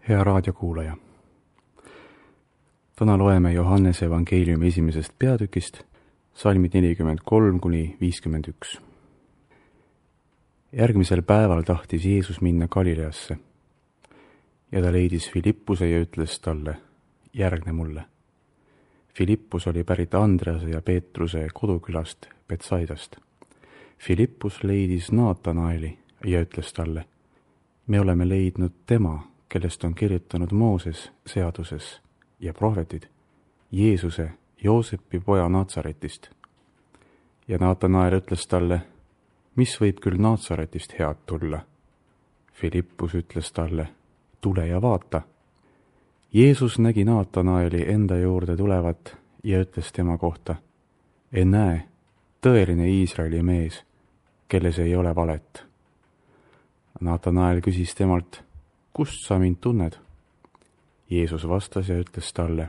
Hea raadiokuulaja! Täna loeme Johannese evangeeliumi 1. peatükist, salmid 43-51. Järgmisel päeval tahtis Jeesus minna Galileasse ja ta leidis Filippuse ja ütles talle, järgne mulle. Filippus oli pärit Andrease ja Peetruse kodukülast Betsaidast. Filippus leidis Naatanaeli ja ütles talle, me oleme leidnud tema, kellest on kirjutanud Mooses seaduses ja prohvetid, Jeesuse, Joosepi poja Naatsaretist. Ja Naatanael ütles talle, mis võib küll Naatsaretist head tulla? Filippus ütles talle, tule ja vaata. Jeesus nägi Naatanaeli enda juurde tulevat ja ütles tema kohta, näe, tõeline Iisraeli mees, kelles ei ole valet. Naatanael küsis temalt, kust sa mind tunned? Jeesus vastas ja ütles talle,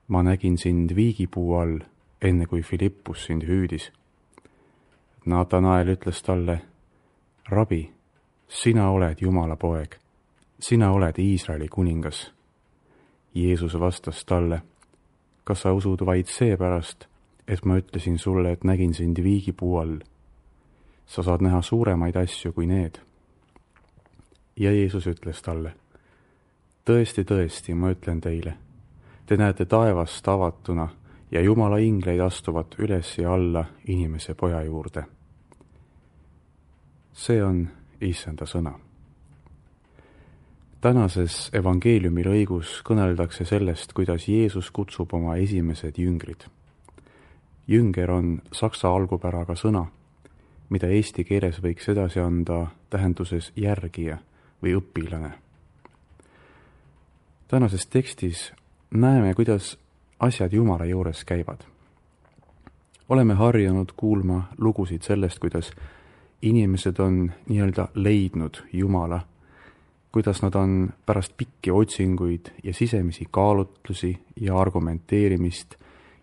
ma nägin sind viigipuu all, enne kui Filippus sind hüüdis. Naatanael ütles talle, rabi, sina oled Jumala poeg, sina oled Iisraeli kuningas. Jeesus vastas talle, kas sa usud vaid seepärast, et ma ütlesin sulle, et nägin sind viigipuu all? Sa saad näha suuremaid asju kui need. Ja Jeesus ütles talle, tõesti, tõesti, ma ütlen teile, te näete taevast avatuna ja Jumala ingleid astuvat üles ja alla inimese poja juurde. See on Issanda sõna. Tänases evangeeliumi lõigus kõneldakse sellest, kuidas Jeesus kutsub oma esimesed jüngrid. Jünger on saksa algupäraga sõna, mida eesti keeles võiks edasi anda tähenduses järgija või õpilane. Tänases tekstis näeme, kuidas asjad Jumala juures käivad. Oleme harjunud kuulma lugusid sellest, kuidas inimesed on nii-öelda leidnud Jumala, kuidas nad on pärast pikki otsinguid ja sisemisi kaalutlusi ja argumenteerimist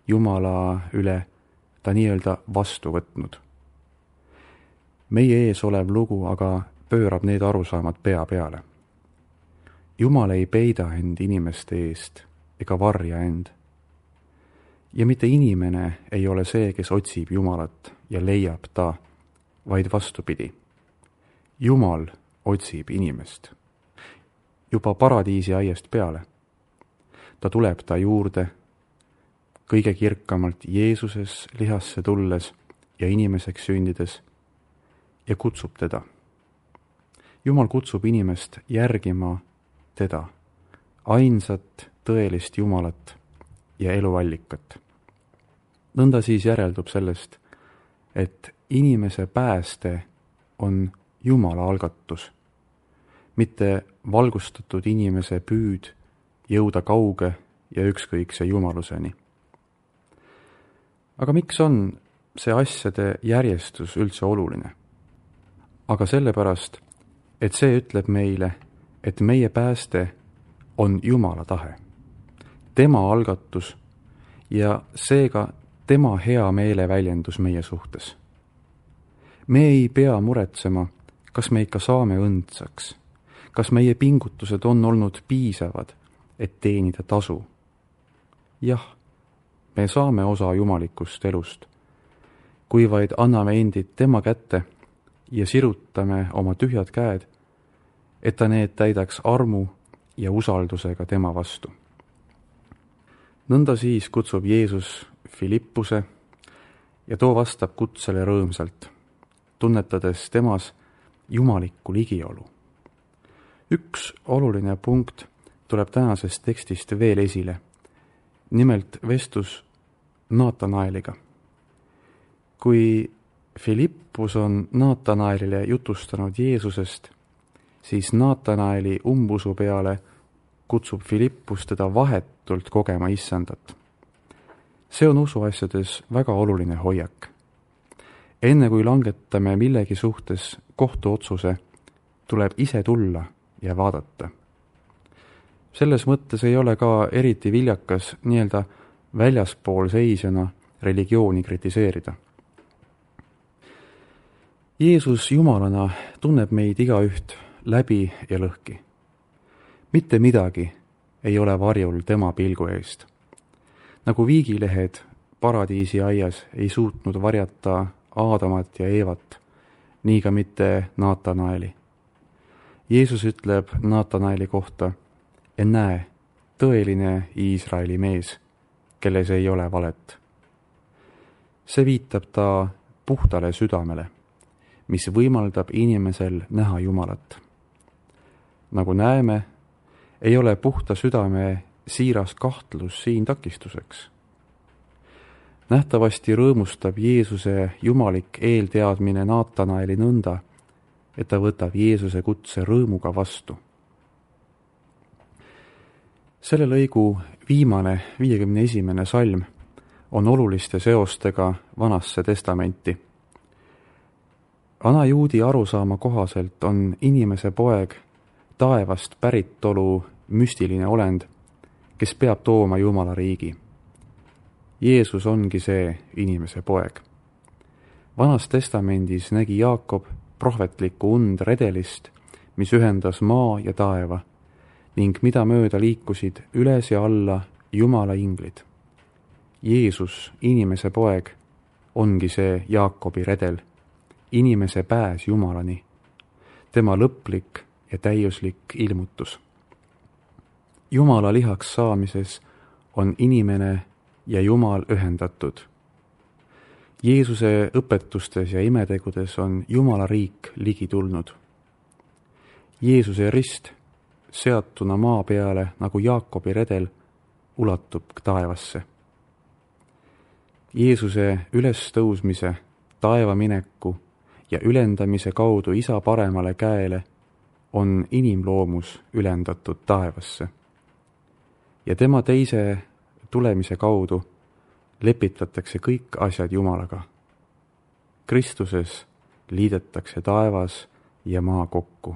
Jumala üle ta nii-öelda vastu võtnud. Meie ees olev lugu aga pöörab need arusaamad pea peale. Jumal ei peida end inimeste eest ega varja end. Ja mitte inimene ei ole see, kes otsib Jumalat ja leiab ta, vaid vastupidi. Jumal otsib inimest. Juba paradiisi aiast peale. Ta tuleb ta juurde, kõige kirkamalt Jeesuses lihasse tulles ja inimeseks sündides ja kutsub teda. Jumal kutsub inimest järgima teda, ainsat tõelist Jumalat ja eluallikat. Nõnda siis järeldub sellest, et inimese pääste on Jumala algatus, mitte valgustatud inimese püüd jõuda kauge ja ükskõikse jumaluseni. Aga miks on see asjade järjestus üldse oluline? Aga sellepärast, et see ütleb meile, et meie pääste on Jumala tahe, tema algatus ja seega tema hea meele väljendus meie suhtes. Me ei pea muretsema, kas me ikka saame õndsaks, kas meie pingutused on olnud piisavad, et teenida tasu. Jah, me saame osa jumalikust elust, kui vaid anname endid tema kätte ja sirutame oma tühjad käed, et ta need täidaks armu ja usaldusega tema vastu. Nõnda siis kutsub Jeesus Filippuse ja too vastab kutsele rõõmsalt, tunnetades temas jumalikku ligiolu. Üks oluline punkt tuleb tänasest tekstist veel esile, nimelt vestlus Naatanaeliga. Kui Filippus on Naatanaelile jutustanud Jeesusest, siis Naatanaeli umbusu peale kutsub Filippus teda vahetult kogema Issandat. See on usuasjades väga oluline hoiak. Enne kui langetame millegi suhtes kohtuotsuse, tuleb ise tulla ja vaadata. Selles mõttes ei ole ka eriti viljakas nii-öelda väljaspool seisjana religiooni kritiseerida. Jeesus Jumalana tunneb meid igaüht läbi ja lõhki. mitte midagi ei ole varjul tema pilgu eest. Nagu viigilehed paradiisiaias ei suutnud varjata Aadamat ja Eevat, nii ka mitte Naatanaeli. Jeesus ütleb Naatanaeli kohta: "Näe, tõeline Iisraeli mees, kelles ei ole valet." See viitab ta puhtale südamele, mis võimaldab inimesel näha Jumalat. Nagu näeme, ei ole puhta südame siiras kahtlus siin takistuseks. Nähtavasti rõõmustab Jeesuse jumalik eelteadmine Naatanaeli nõnda, et ta võtab Jeesuse kutse rõõmuga vastu. Selle lõigu viimane 51. salm on oluliste seostega Vanasse testamenti. Vana juudi arusaama kohaselt on inimese poeg taevast päritolu müstiline olend, kes peab tooma Jumala riigi. Jeesus ongi see inimese poeg. Vanas testamendis nägi Jaakob prohvetlikku und redelist, mis ühendas maa ja taeva ning mida mööda liikusid üles ja alla Jumala inglid. Jeesus, inimese poeg, ongi see Jaakobi redel, inimese pääs Jumalani, tema lõplik ja täiuslik ilmutus. Jumala lihaks saamises on inimene ja Jumal ühendatud. Jeesuse õpetustes ja imetegudes on Jumala riik ligi tulnud. Jeesuse rist, seatuna maa peale nagu Jaakobi redel, ulatub taevasse. Jeesuse ülestõusmise, taevamineku ja ülendamise kaudu Isa paremale käele on inimloomus ülendatud taevasse. Ja tema teise tulemise kaudu lepitatakse kõik asjad Jumalaga. Kristuses liidetakse taevas ja maa kokku.